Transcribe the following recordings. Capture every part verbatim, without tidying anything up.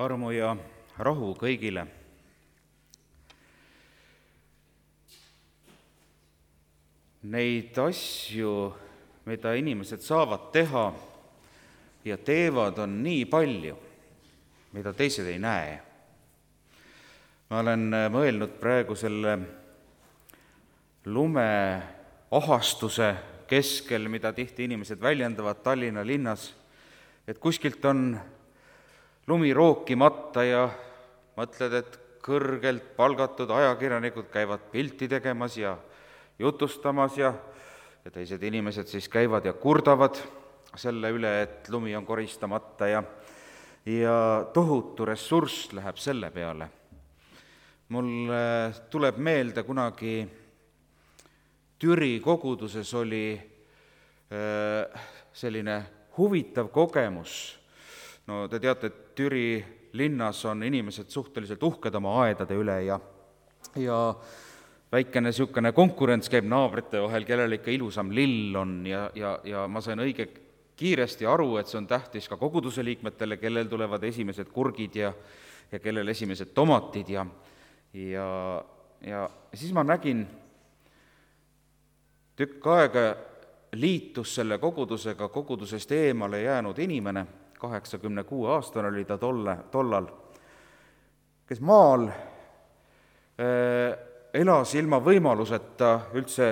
armu ja rahu kõigile. Neid asju, mida inimesed saavad teha ja teevad, on nii palju, mida teised ei näe. Ma olen mõelnud praegu selle lumeahastuse keskel, mida tihti inimesed väljendavad Tallinna linnas, et kuskilt on lumi rookimata ja mõtled, et kõrgelt palgatud ajakirjanikud käivad pilti tegemas ja jutustamas ja, ja teised inimesed siis käivad ja kurdavad selle üle, et lumi on koristamata ja, ja tohutu ressurss läheb selle peale. Mul tuleb meelde kunagi Türi koguduses oli selline huvitav kogemus. No te teate, et Türi linnas on inimesed suhteliselt uhked oma aedade üle ja, ja väikene niisugune konkurents käib naabrite vahel, kellel ikka ilusam lill on ja, ja, ja ma sain õige kiiresti aru, et see on tähtis ka koguduse liikmetele, kellel tulevad esimesed kurgid ja, ja kellel esimesed tomatid ja, ja, ja siis ma nägin tükk aega liitus selle kogudusega kogudusest eemale jäänud inimene, kaheksakümne kuue aastane oli ta tolle, tollal, kes maal äh, elas ilma võimaluseta üldse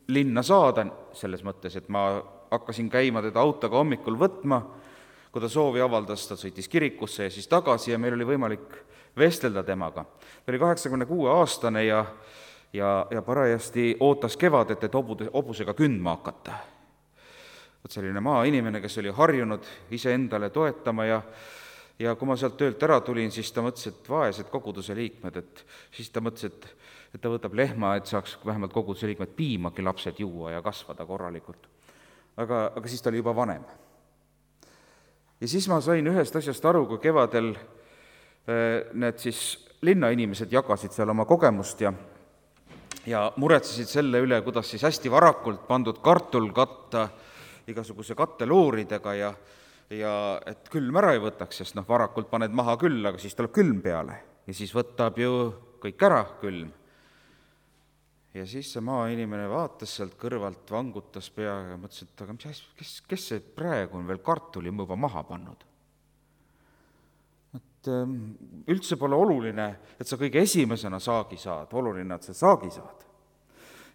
linna saada, selles mõttes, et ma hakkasin käima teda autoga hommikul võtma, kui ta soovi avaldas, ta sõitis kirikusse ja siis tagasi ja meil oli võimalik vestelda temaga. Ta oli kaheksakümne kuue aastane ja ja, ja parajasti ootas kevadet, et obude, obusega kündma hakata. Võt selline maainimene, kes oli harjunud iseendale toetama ja, ja kui ma sealt töölt ära tulin, siis ta mõtles, et vaesed koguduse liikmed, et siis ta mõtles, et, et ta võtab lehma, et saaks vähemalt koguduse liikmed piimagi lapsed juua ja kasvada korralikult. Aga, aga siis ta oli juba vanem. Ja siis ma sain ühest asjast aru, kui kevadel need siis linnainimesed jagasid seal oma kogemust ja ja muretsesid selle üle, kuidas siis hästi varakult pandud kartul katta igasuguse kattelooridega ja, ja et külm ära ei võtaks, sest noh, varakult paned maha küll, aga siis tuleb külm peale ja siis võtab ju kõik ära külm. Ja siis see maainimene vaatas sealt kõrvalt, vangutas pea ja mõtles, et aga mis, kes, kes see praegu on veel kartuli juba maha pannud? Et üldse pole oluline, et sa kõige esimesena saagi saad, oluline, et sa saagi saad.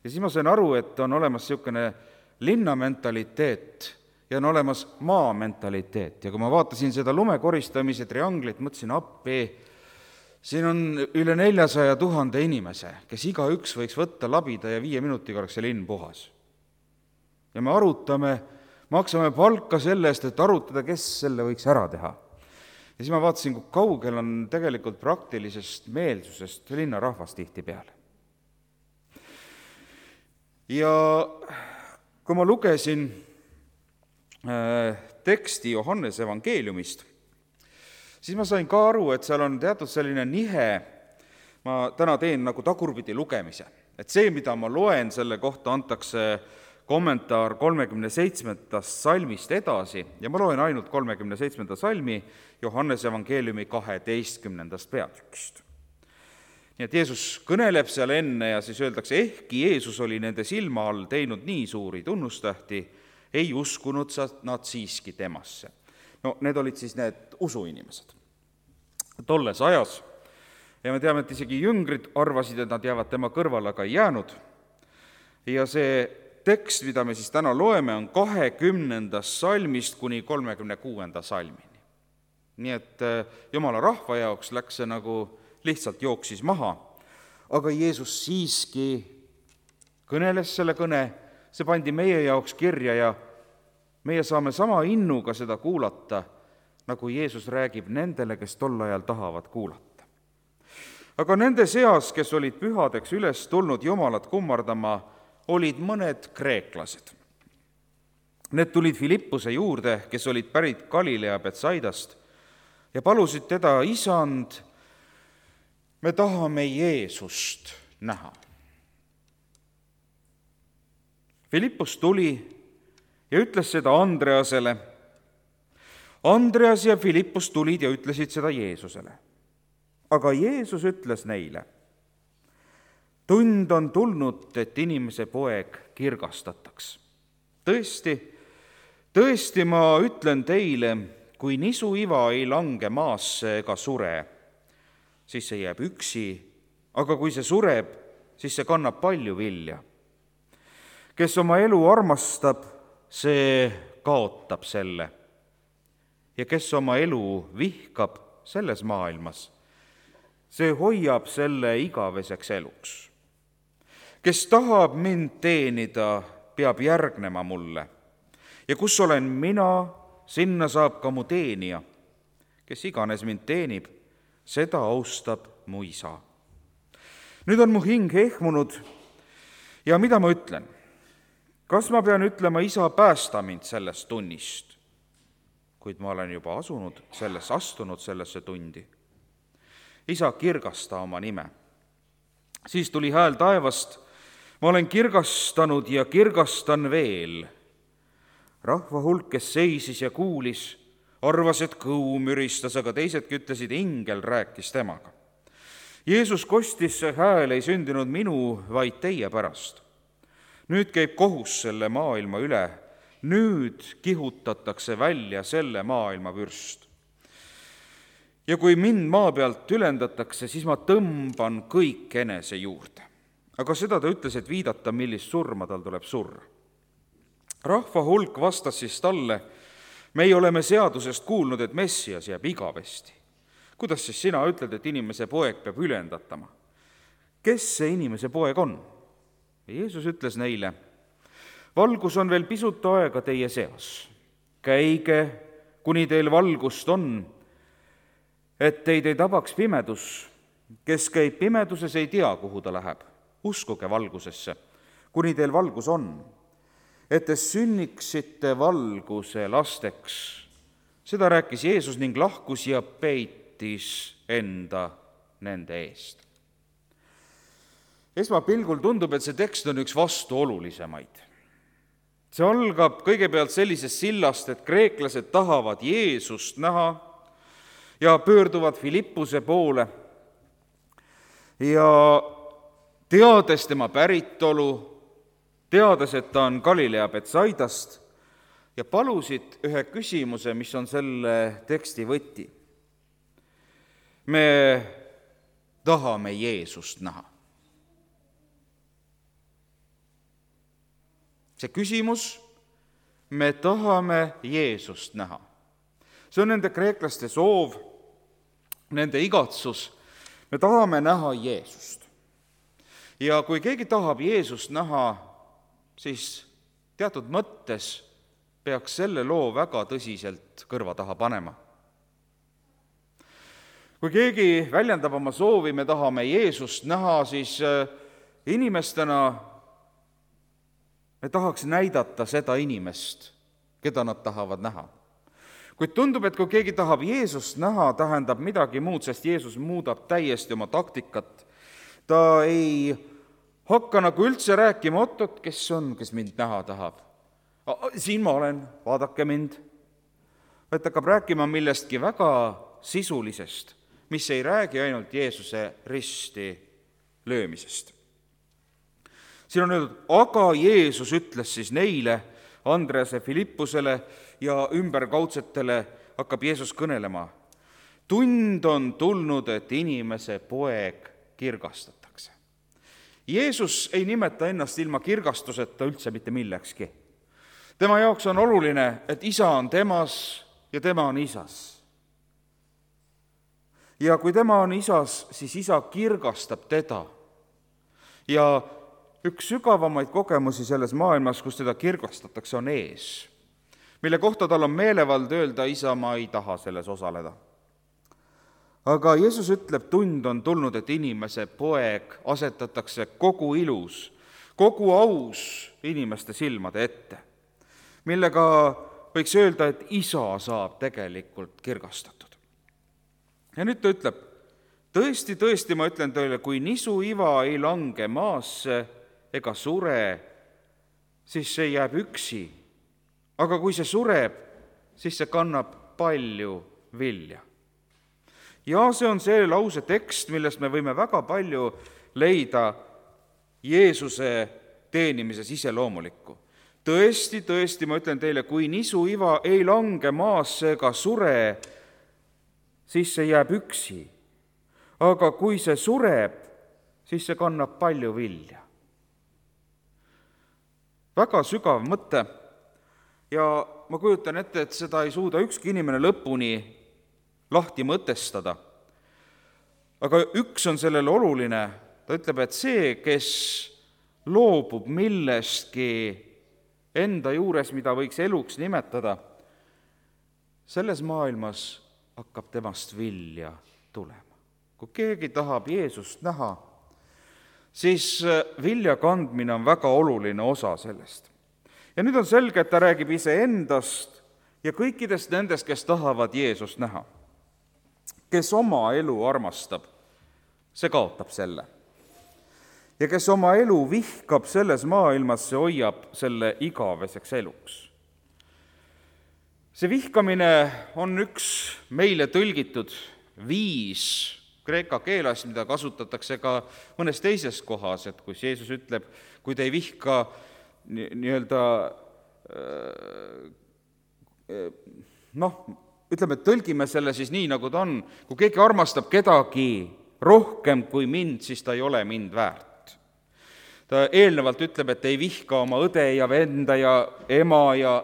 Ja siis ma sain aru, et on olemas niisugune linnamentaliteet ja on olemas maamentaliteet. Ja kui ma vaatasin seda lumekoristamise trianglit, mõtlesin appi, siin on üle neljasaja tuhande inimese, kes iga üks võiks võtta labida ja viie minutiga oleks see linn puhas. Ja me arutame, maksame palka selle eest, et arutada, kes selle võiks ära teha. Ja siis ma vaatasin, kui kaugel on tegelikult praktilisest meelsusest linnarahvas tihti peale. Ja kui ma lugesin äh, teksti Johannese evangeeliumist, siis ma sain ka aru, et seal on teatud selline nihe, ma täna teen nagu tagurpidi lugemise, et see, mida ma loen, selle kohta antakse kommentaar kolmekümne seitsmendast salmist edasi ja ma loen ainult kolmekümne seitsmenda salmi Johannese evangeeliumi kaheteistkümnendast peatükist. Nii et Jeesus kõneleb seal enne ja siis öeldakse, ehkki Jeesus oli nende silma all teinud nii suuri tunnustähti, ei uskunud nad siiski temasse. No need olid siis need usuinimesed tolles ajas ja me teame, et isegi jüngrid arvasid, et nad jäävad tema kõrval, aga ei jäänud. Ja see tekst, mida me siis täna loeme, on kahekümnendast salmist kuni kolmekümne kuuenda salmini. Nii et Jumala rahva jaoks läks see nagu lihtsalt jooksis maha, aga Jeesus siiski kõneles selle kõne, see pandi meie jaoks kirja ja meie saame sama innuga seda kuulata, nagu Jeesus räägib nendele, kes tol ajal tahavad kuulata. Aga nende seas, kes olid pühadeks üles tulnud Jumalat kummardama, olid mõned kreeklased. Need tulid Filippuse juurde, kes olid pärit Galilea Betsaidast ja palusid teda, isand, me tahame Jeesust näha. Filippus tuli ja ütles seda Andreasele. Andreas ja Philippus tulid ja ütlesid seda Jeesusele. Aga Jeesus ütles neile, tund on tulnud, et inimese poeg kirgastataks. Tõesti, tõesti ma ütlen teile, kui nisuiva ei lange maasse ega sure, siis see jääb üksi, aga kui see sureb, siis see kannab palju vilja. Kes oma elu armastab, see kaotab selle. Ja kes oma elu vihkab selles maailmas, see hoiab selle igaveseks eluks. Kes tahab mind teenida, peab järgnema mulle. Ja kus olen mina, sinna saab ka mu teenija. Kes iganes mind teenib, seda austab mu isa. Nüüd on mu hing ehmunud ja mida ma ütlen? Kas ma pean ütlema, isa, päästa mind sellest tunnist? Kuid ma olen juba asunud selles, astunud sellesse tundi. Isa, kirgasta oma nime. Siis tuli hääl taevast, ma olen kirgastanud ja kirgastan veel. Rahva hulk, kes seisis ja kuulis, arvas, et kõu müristas, aga teisedki ütlesid, ingel rääkis temaga. Jeesus kostis, see hääl ei sündinud minu, vaid teie pärast. Nüüd käib kohus selle maailma üle. Nüüd kihutatakse välja selle maailma vürst. Ja kui mind maa pealt ülendatakse, siis ma tõmban kõik enese juurde. Aga seda ta ütles, et viidata, millist surma tal tuleb surra. Rahva hulk vastas siis talle, meie oleme seadusest kuulnud, et Messias jääb igavesti. Kuidas siis sina ütled, et inimese poeg peab ülendatama? Kes see inimese poeg on? Ja Jeesus ütles neile, valgus on veel pisut aega teie seas. Käige, kuni teil valgust on, et teid ei tabaks pimedus. Kes käib pimeduses, ei tea, kuhu ta läheb. Uskuge valgusesse, kuni teil valgus on, et te sünniksite valguse lasteks. Seda rääkis Jeesus ning lahkus ja peitis enda nende eest. Esmapilgul tundub, et see tekst on üks vastuolulisemaid. See algab kõigepealt sellisest sillast, et kreeklased tahavad Jeesust näha ja pöörduvad Philippuse poole ja teades tema päritolu, teades, et ta on Galilea Betsaidast, ja palusid ühe küsimuse, mis on selle teksti võti. Me tahame Jeesust näha. See küsimus, me tahame Jeesust näha. See on nende kreeklaste soov, nende igatsus. Me tahame näha Jeesust. Ja kui keegi tahab Jeesust näha, siis teatud mõttes peaks selle loo väga tõsiselt kõrva taha panema. Kui keegi väljendab oma soovi, me tahame Jeesust näha, siis inimestena me tahaks näidata seda inimest, keda nad tahavad näha. Kuid tundub, et kui keegi tahab Jeesust näha, tähendab midagi muud, sest Jeesus muudab täiesti oma taktikat. Ta ei hakka nagu üldse rääkima, oot-oot, kes on, kes mind näha tahab. Siin ma olen, vaadake mind. Et hakkab rääkima millestki väga sisulisest, mis ei räägi ainult Jeesuse risti löömisest. Siin on öeldud, aga Jeesus ütles siis neile, Andrease, Philippusele ja ümberkaudsetele hakkab Jeesus kõnelema. Tund on tulnud, et inimese poeg kirgastatakse. Jeesus ei nimeta ennast ilma kirgastuseta üldse mitte millekski. Tema jaoks on oluline, et isa on temas ja tema on isas. Ja kui tema on isas, siis isa kirgastab teda. Ja üks sügavamaid kogemusi selles maailmas, kus teda kirgastatakse, on ees, mille kohta tal on meelevald öelda, isa, ma ei taha selles osaleda. Aga Jeesus ütleb, tund on tulnud, et inimese poeg asetatakse kogu ilus, kogu aus inimeste silmade ette, millega võiks öelda, et isa saab tegelikult kirgastatud. Ja nüüd ta ütleb, tõesti, tõesti, ma ütlen teile, kui nisuiva ei lange maasse ega sure, siis see jääb üksi. Aga kui see sureb, siis see kannab palju vilja. Ja see on see lause tekst, millest me võime väga palju leida Jeesuse teenimises iseloomulikku. Tõesti, tõesti, ma ütlen teile, kui nisuiva ei lange maasse ega sure, siis see jääb üksi. Aga kui see sureb, siis see kannab palju vilja. Väga sügav mõte ja ma kujutan ette, et seda ei suuda ükski inimene lõpuni lahti mõtestada. Aga üks on sellele oluline, ta ütleb, et see, kes loobub millestki enda juures, mida võiks eluks nimetada, selles maailmas hakkab temast vilja tulema. Kui keegi tahab Jeesust näha, siis vilja kandmine on väga oluline osa sellest. Ja nüüd on selge, et ta räägib iseendast ja kõikidest nendest, kes tahavad Jeesust näha. Kes oma elu armastab, see kaotab selle. Ja kes oma elu vihkab selles maailmas, see hoiab selle igaveseks eluks. See vihkamine on üks meile tõlgitud viis kreeka keeles, mida kasutatakse ka mõnes teises kohas, et kui Jeesus ütleb, kui te ei vihka nii-öelda noh, ütleme, et tõlgime selle siis nii, nagu ta on, kui keegi armastab kedagi rohkem kui mind, siis ta ei ole mind väärt. Ta eelnevalt ütleb, et ei vihka oma õde ja venda ja ema ja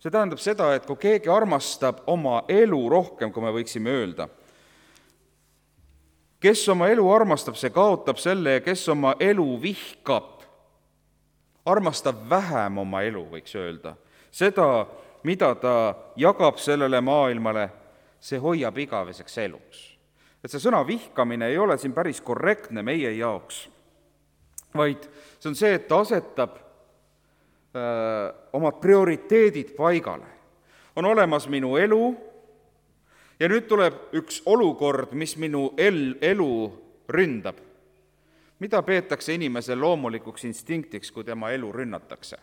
see tähendab seda, et kui keegi armastab oma elu rohkem, kui me võiksime öelda, kes oma elu armastab, see kaotab selle ja kes oma elu vihkab, armastab vähem oma elu, võiks öelda. Seda, mida ta jagab sellele maailmale, see hoiab igaveseks eluks. Et see sõna vihkamine ei ole siin päris korrektne meie jaoks, vaid see on see, et ta asetab öö, omad prioriteedid paigale. On olemas minu elu ja nüüd tuleb üks olukord, mis minu el, elu ründab. Mida peetakse inimese loomulikuks instinktiks, kui tema elu rünnatakse?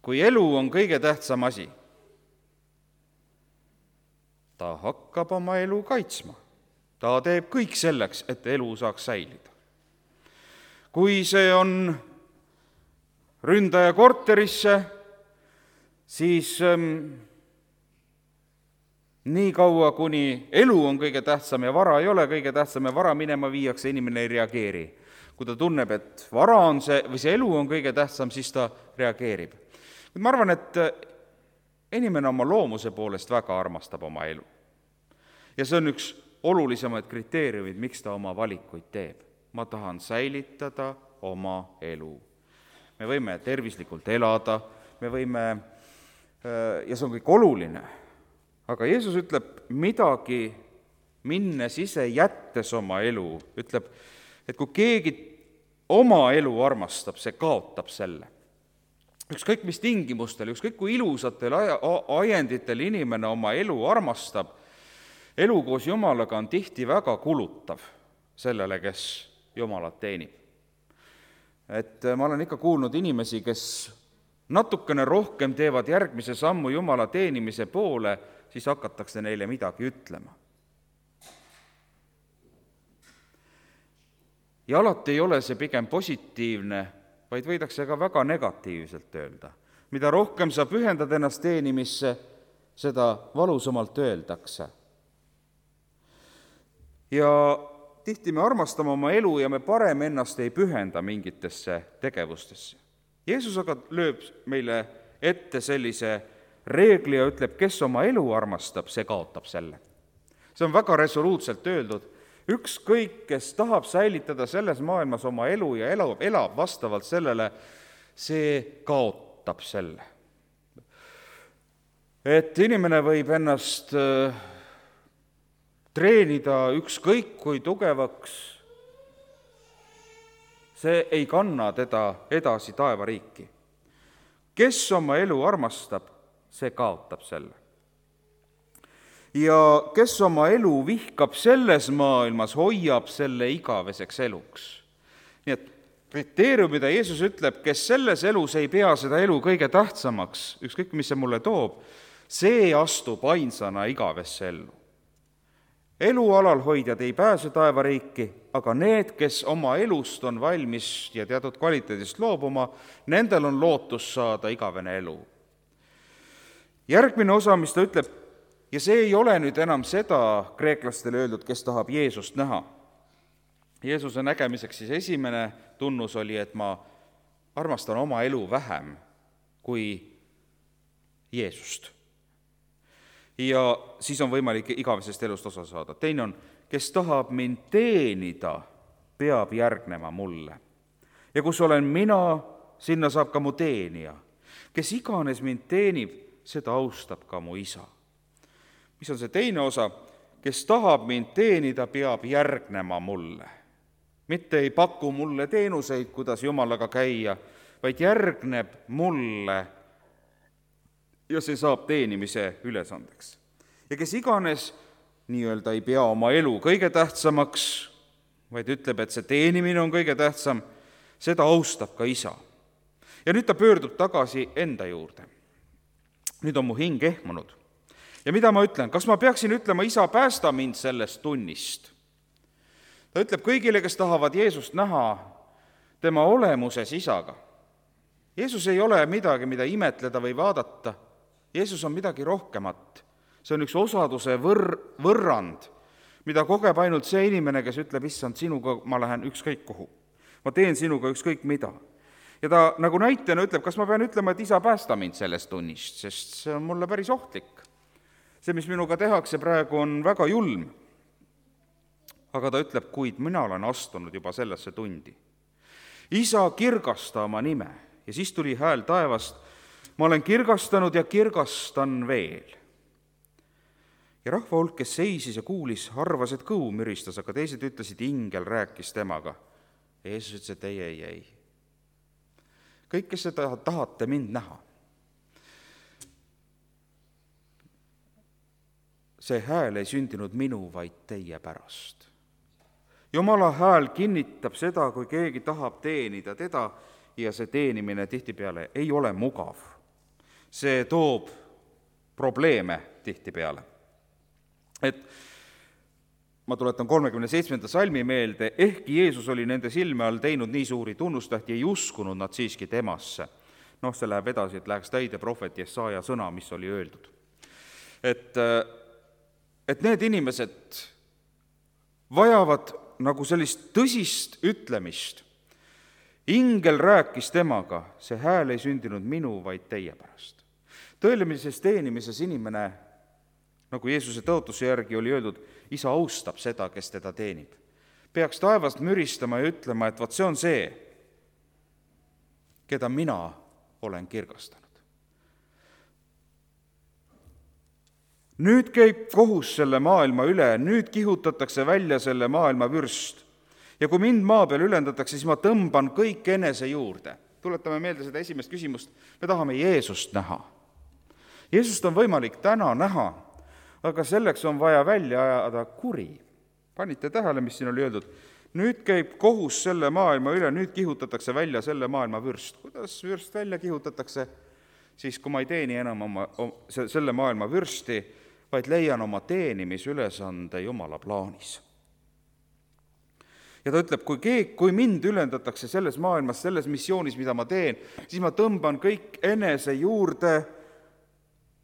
Kui elu on kõige tähtsam asi, ta hakkab oma elu kaitsma. Ta teeb kõik selleks, et elu saaks säilida. Kui see on ründaja korterisse, siis ähm, nii kaua, kuni elu on kõige tähtsam ja vara ei ole kõige tähtsam ja vara minema viiakse, inimene ei reageeri. Kui ta tunneb, et vara on see, või see elu on kõige tähtsam, siis ta reageerib. Ma arvan, et inimene oma loomuse poolest väga armastab oma elu. Ja see on üks olulisemaid kriteeriumid, miks ta oma valikuid teeb. Ma tahan säilitada oma elu. Me võime tervislikult elada, me võime, ja see on kõik oluline, aga Jeesus ütleb midagi minnes ise jättes oma elu, ütleb, et kui keegi oma elu armastab, see kaotab selle. Ükskõik mis tingimustel, ükskõik kui ilusatel ajenditel inimene oma elu armastab, elu koos Jumalaga on tihti väga kulutav sellele, kes Jumalat teenib. Et ma olen ikka kuulnud inimesi, kes natukene rohkem teevad järgmise sammu Jumala teenimise poole, siis hakatakse neile midagi ütlema. Ja alati ei ole see pigem positiivne, vaid võidakse ka väga negatiivselt öelda. Mida rohkem sa pühendad ennast teenimisse, seda valusamalt öeldakse. Ja tihti me armastame oma elu ja me parem ennast ei pühenda mingitesse tegevustesse. Jeesus aga lööb meile ette sellise reegli ja ütleb, kes oma elu armastab, see kaotab selle. See on väga resoluutselt öeldud. Ükskõik, kes tahab säilitada selles maailmas oma elu ja elab, elab vastavalt sellele, see kaotab selle. Et inimene võib ennast treenida ükskõik kui tugevaks, see ei kanna teda edasi taevariiki. Kes oma elu armastab, see kaotab selle. Ja kes oma elu vihkab selles maailmas, hoiab selle igaveseks eluks. Nii et kriteerium, mida Jeesus ütleb, kes selles elus ei pea seda elu kõige tähtsamaks, ükskõik mis see mulle toob, see astub ainsana igavesse ellu. Elu alalhoidjad ei pääse taevariiki, aga need, kes oma elust on valmis ja teatud kvaliteedist loobuma, nendel on lootus saada igavene elu. Järgmine osa, mis ta ütleb, ja see ei ole nüüd enam seda kreeklastele öeldud, kes tahab Jeesust näha. Jeesuse nägemiseks siis esimene tunnus oli, et ma armastan oma elu vähem kui Jeesust. Ja siis on võimalik igavesest elust osa saada. Teine on, kes tahab mind teenida, peab järgnema mulle. Ja kus olen mina, sinna saab ka mu teenija. Kes iganes mind teenib, seda austab ka mu isa. Mis on see teine osa? Kes tahab mind teenida, peab järgnema mulle. Mitte ei paku mulle teenuseid, kuidas Jumalaga käia, vaid järgneb mulle ja see saab teenimise ülesandeks. Ja kes iganes nii-öelda ei pea oma elu kõige tähtsamaks, vaid ütleb, et see teenimine on kõige tähtsam, seda austab ka isa. Ja nüüd ta pöördub tagasi enda juurde. Nüüd on mu hing ehmunud. Ja mida ma ütlen? Kas ma peaksin ütlema, isa, päästa mind sellest tunnist? Ta ütleb kõigile, kes tahavad Jeesust näha tema olemuses isaga. Jeesus ei ole midagi, mida imetleda või vaadata. Jeesus on midagi rohkemat. See on üks osaduse võr- võrrand, mida kogeb ainult see inimene, kes ütleb, issand, sinuga ma lähen ükskõik kuhu. Ma teen sinuga ükskõik mida. Ja ta nagu näitena ütleb, kas ma pean ütlema, et isa, päästa mind sellest tunnist, sest see on mulle päris ohtlik. See, mis minuga tehakse praegu, on väga julm. Aga ta ütleb, kuid mina olen astunud juba sellesse tundi. Isa, kirgasta oma nime. Ja siis tuli hääl taevast, ma olen kirgastanud ja kirgastan veel. Ja rahva hulk, kes seisis ja kuulis, arvas, et kõu müristas, aga teised ütlesid, ingel rääkis temaga. Ja Jeesus ütles, et ei, ei, ei. Kõik, kes seda tahate mind näha, see hääl ei sündinud minu, vaid teie pärast. Jumala hääl kinnitab seda, kui keegi tahab teenida teda, ja see teenimine tihtipeale ei ole mugav. See toob probleeme tihtipeale. Et ma tuletan kolmekümne seitsmenda salmi meelde, ehkki Jeesus oli nende silme all teinud nii suuri tunnustähti, ei uskunud nad siiski temasse. Noh, see läheb edasi, et läheks täide prohvet Jesaja sõna, mis oli öeldud. Et, et need inimesed vajavad nagu sellist tõsist ütlemist. Ingel rääkis temaga, see hääl ei sündinud minu, vaid teie pärast. Tõelimises teenimises inimene, nagu Jeesuse tõotuse järgi oli öeldud, isa austab seda, kes teda teenib. Peaks taevast müristama ja ütlema, et vot see on see, keda mina olen kirgastanud. Nüüd käib kohus selle maailma üle, nüüd kihutatakse välja selle maailma vürst. Ja kui mind maa peal ülendatakse, siis ma tõmban kõik enese juurde. Tuletame meelde seda esimest küsimust. Me tahame Jeesust näha. Jeesust on võimalik täna näha, aga selleks on vaja välja ajada kuri. Panite tähele, mis siin oli öeldud? Nüüd käib kohus selle maailma üle, nüüd kihutatakse välja selle maailma vürst. Kuidas vürst välja kihutatakse? Siis kui ma ei teeni enam oma, selle maailma vürsti, vaid leian oma teenimisülesande Jumala plaanis. Ja ta ütleb, kui, keeg, kui mind ülendatakse selles maailmas, selles missioonis, mida ma teen, siis ma tõmban kõik enese juurde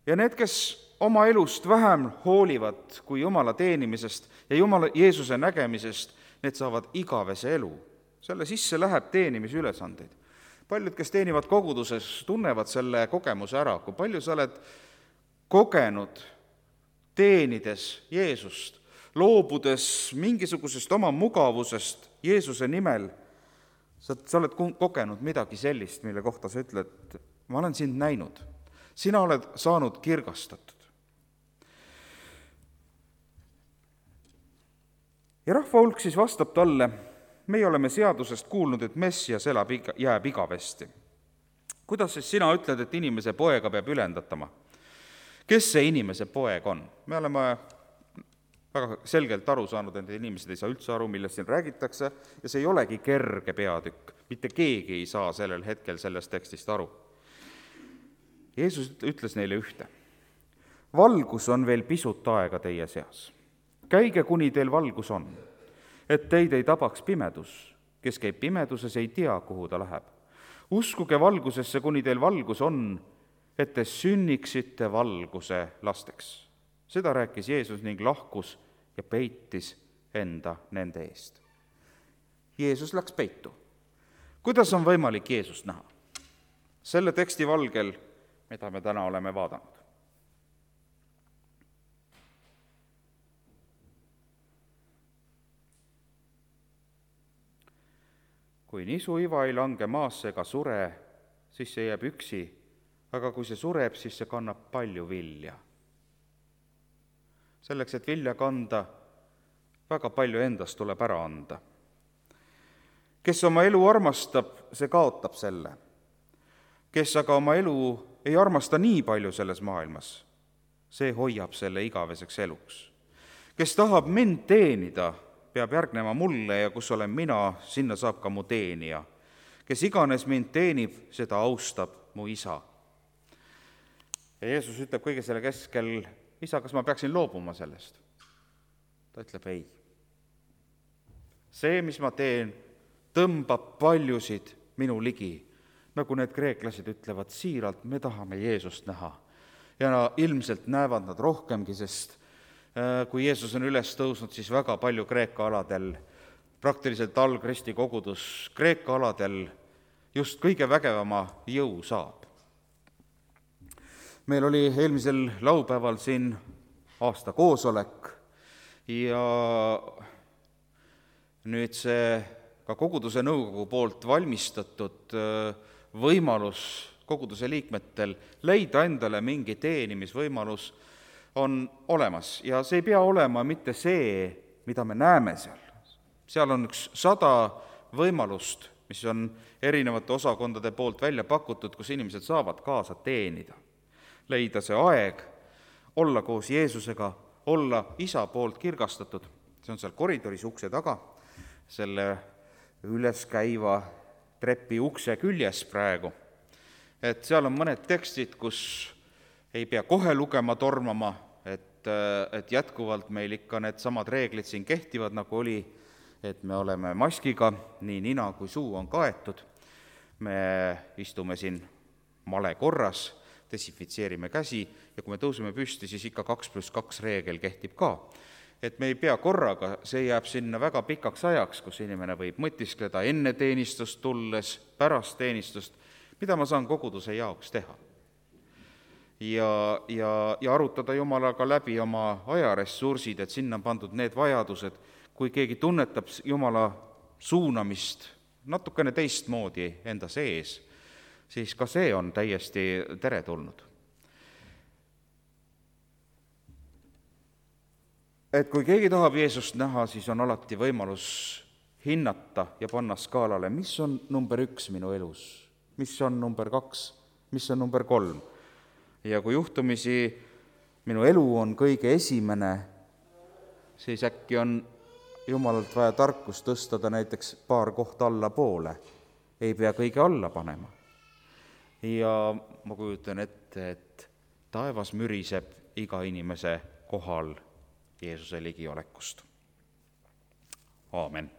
ja need, kes oma elust vähem hoolivad kui Jumala teenimisest ja Jumala Jeesuse nägemisest, need saavad igavese elu. Selle sisse läheb teenimisülesandeid. Paljud, kes teenivad koguduses, tunnevad selle kogemuse ära. Kui palju sa oled kogenud teenides Jeesust, loobudes mingisugusest oma mugavusest Jeesuse nimel, sa, sa oled kogenud midagi sellist, mille kohta sa ütled, ma olen sind näinud. Sina oled saanud kirgastatud. Ja rahva hulk siis vastab talle, meie oleme seadusest kuulnud, et Messias elab, jääb igavesti. Kuidas siis sina ütled, et inimese poega peab ülendatama? Kes see inimese poeg on? Me oleme väga selgelt aru saanud, et inimesed ei saa üldse aru, millest siin räägitakse ja see ei olegi kerge peatükk. Mitte keegi ei saa sellel hetkel sellest tekstist aru. Jeesus ütles neile ühte. Valgus on veel pisut aega teie seas. Käige, kuni teil valgus on, et teid ei tabaks pimedus. Kes käib pimeduses, ei tea, kuhu ta läheb. Uskuge valgusesse, kuni teil valgus on, et te sünniksite valguse lasteks. Seda rääkis Jeesus ning lahkus ja peitis enda nende eest. Jeesus läks peitu. Kuidas on võimalik Jeesust näha? Selle teksti valgel, mida me täna oleme vaadanud. Kui nisu iva ei lange maasse ega sure, siis see jääb üksi, aga kui see sureb, siis see kannab palju vilja. Selleks, et vilja kanda, väga palju endast tuleb ära anda. Kes oma elu armastab, see kaotab selle. Kes aga oma elu ei armasta nii palju selles maailmas, see hoiab selle igaveseks eluks. Kes tahab mind teenida, peab järgnema mulle ja kus olen mina, sinna saab ka mu teenija. Kes iganes mind teenib, seda austab mu isa. Ja Jeesus ütleb kõige selle keskel, isa, kas ma peaksin loobuma sellest? Ta ütleb ei. See, mis ma teen, tõmbab paljusid minu ligi. Nagu need kreeklased ütlevad siiralt, me tahame Jeesust näha. Ja ilmselt näevad nad rohkemgi, sest kui Jeesus on üles tõusnud, siis väga palju Kreeka aladel, praktiliselt algristi kogudus Kreeka aladel just kõige vägevama jõu saab. Meil oli eelmisel laupäeval siin aasta koosolek ja nüüd see ka koguduse nõukogu poolt valmistatud võimalus koguduse liikmetel leida endale mingi teenimisvõimalus on olemas ja see ei pea olema mitte see, mida me näeme seal. Seal on üks sada võimalust, mis on erinevate osakondade poolt välja pakutud, kus inimesed saavad kaasa teenida. Leida see aeg, olla koos Jeesusega, olla isa poolt kirgastatud. See on seal koridoris ukse taga, selle üles käiva trepi ukse küljes praegu. Et seal on mõned tekstid, kus ei pea kohe lugema tormama, et, et jätkuvalt meil ikka need samad reeglid siin kehtivad, nagu oli, et me oleme maskiga, nii nina kui suu on kaetud. Me istume siin male korras, desinfitseerime käsi ja kui me tõuseme püsti, siis ikka kaks pluss kaks reegel kehtib ka. Et me ei pea korraga, see jääb sinna väga pikaks ajaks, kus inimene võib mõtiskleda enne teenistust tulles, pärast teenistust, mida ma saan koguduse jaoks teha. Ja, ja, ja arutada Jumalaga läbi oma ajaressursid, et sinna on pandud need vajadused, kui keegi tunnetab Jumala suunamist natukene teistmoodi enda sees, siis ka see on täiesti teretulnud. Et kui keegi tahab Jeesust näha, siis on alati võimalus hinnata ja panna skaalale, mis on number üks minu elus, mis on number kaks, mis on number kolm. Ja kui juhtumisi minu elu on kõige esimene, siis äkki on Jumalalt vaja tarkust tõsta ta näiteks paar kohta alla poole. Ei pea kõige alla panema. Ja ma kujutan ette, et taevas müriseb iga inimese kohal Jeesuse ligiolekust. Aamen.